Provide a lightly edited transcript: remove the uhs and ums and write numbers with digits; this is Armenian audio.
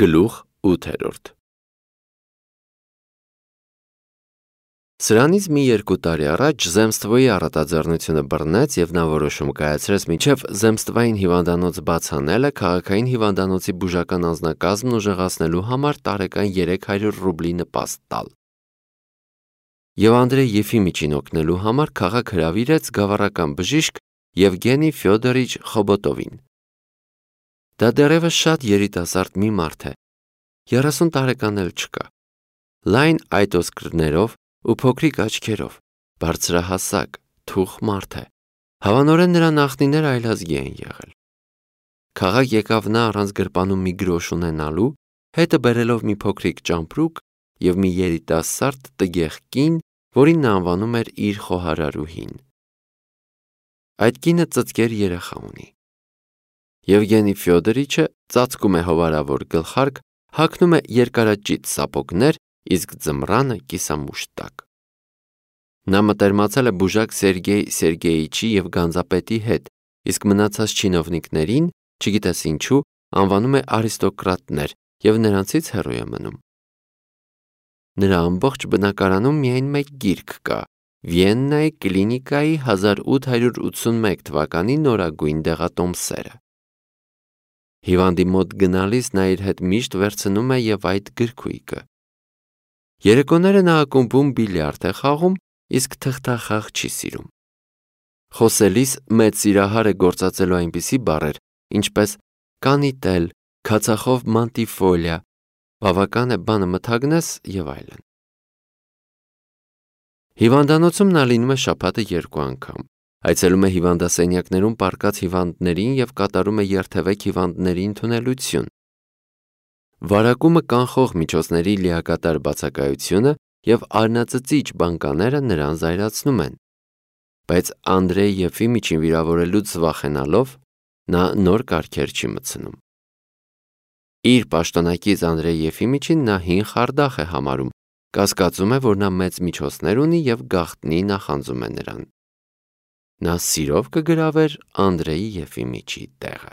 Գլուխ 8 Սրանից մի 2 տարի առաջ Zemstvոյի առատաձեռնությունը բռնեց և նա որոշում կայացրեց մինչև Zemstvային հիվանդանոց բաց անելը քաղաքային հիվանդանոցի բուժական անձնակազմն ուժեղացնելու համար տարեկան 300 ռուբլի նպաստ տալ։ Եվ Անդրեյ Եֆիմիչին օգնելու համար քաղաք հրավիրեց գավառական բժիշկ Եվգենի Ֆյոդորիչ Խոբոտովին։ Դա դեռևս շատ երիտասարդ մի մարդ է, 30 տարեկան էլ չկա, լայն այտոսկրներով ու փոքրիկ աչքերով, բարձրահասակ, թուխ մարդ է, հավանորեն նրա նախնիները այլազգի են եղել։ Քաղաք եկավ նա առանց գրպանում մի գրոշ ունենալու, հետը բերելով մի փոքրիկ ճամպրուկ և մի երիտասարդ տգեղ կին, որին նա անվանում էր իր խոհարարուհին։ Այդ կինը ծծկեր երեխա ունի։ Եվգենի Ֆյոդորիչը ծածկում է հովարավոր գլխարկ, հագնում է երկարաճիտ սապոգներ, իսկ ձմռանը կիսամուշ տակ։ Նա մտերմացել է բուժակ Սերգեյ Սերգեյիչի և գանձապետի հետ, իսկ մնացած չինովնիկներին, չգիտես ինչու, անվանում է արիստոկրատներ և նրանցից հեռու է մնում։ Նրա ամբողջ բնակարանում միայն մեկ գիրք կա՝ Վիեննայի կլինիկայի 1881 թվականի նորագույն դեղատոմսերը։ Հիվանդի մոտ գնալիս նա իր հետ միշտ վերցնում է և այդ գրքույկը։ Երեկոները նա ակումբում բիլիարդ է խաղում, իսկ թղթախաղ չի սիրում։ Խոսելիս մեծ սիրահար է գործածելու այնպիսի բառեր, ինչպես կանիտել, քացախով մանտիֆոլիա, բավական է բանը մթագնես և այլն։ Հիվանդանոցում նա լինում է շաբաթը 2 անգամ, այցելում է հիվանդասենյակներում պառկած հիվանդներին և կատարում է երթևեք հիվանդների ընդունելություն։ Վարակումը կանխող միջոցների լիակատար բացակայությունը և արնածծիչ բանկաները նրան զայրացնում են։ Բայց Անդրեյ Եֆիմիչին վիրավորելուց վախենալով, նա նոր կարգեր չի մտցնում։ Իր պաշտոնակից Անդրեյ Եֆիմիչին նա հին խարդախ է համարում, կասկածում է, որ նա մեծ միջոցներ ունի և գաղտնի նախանձում է նրան։ Նա սիրով կգրավեր Անդրեյ Եֆիմիչի տեղը։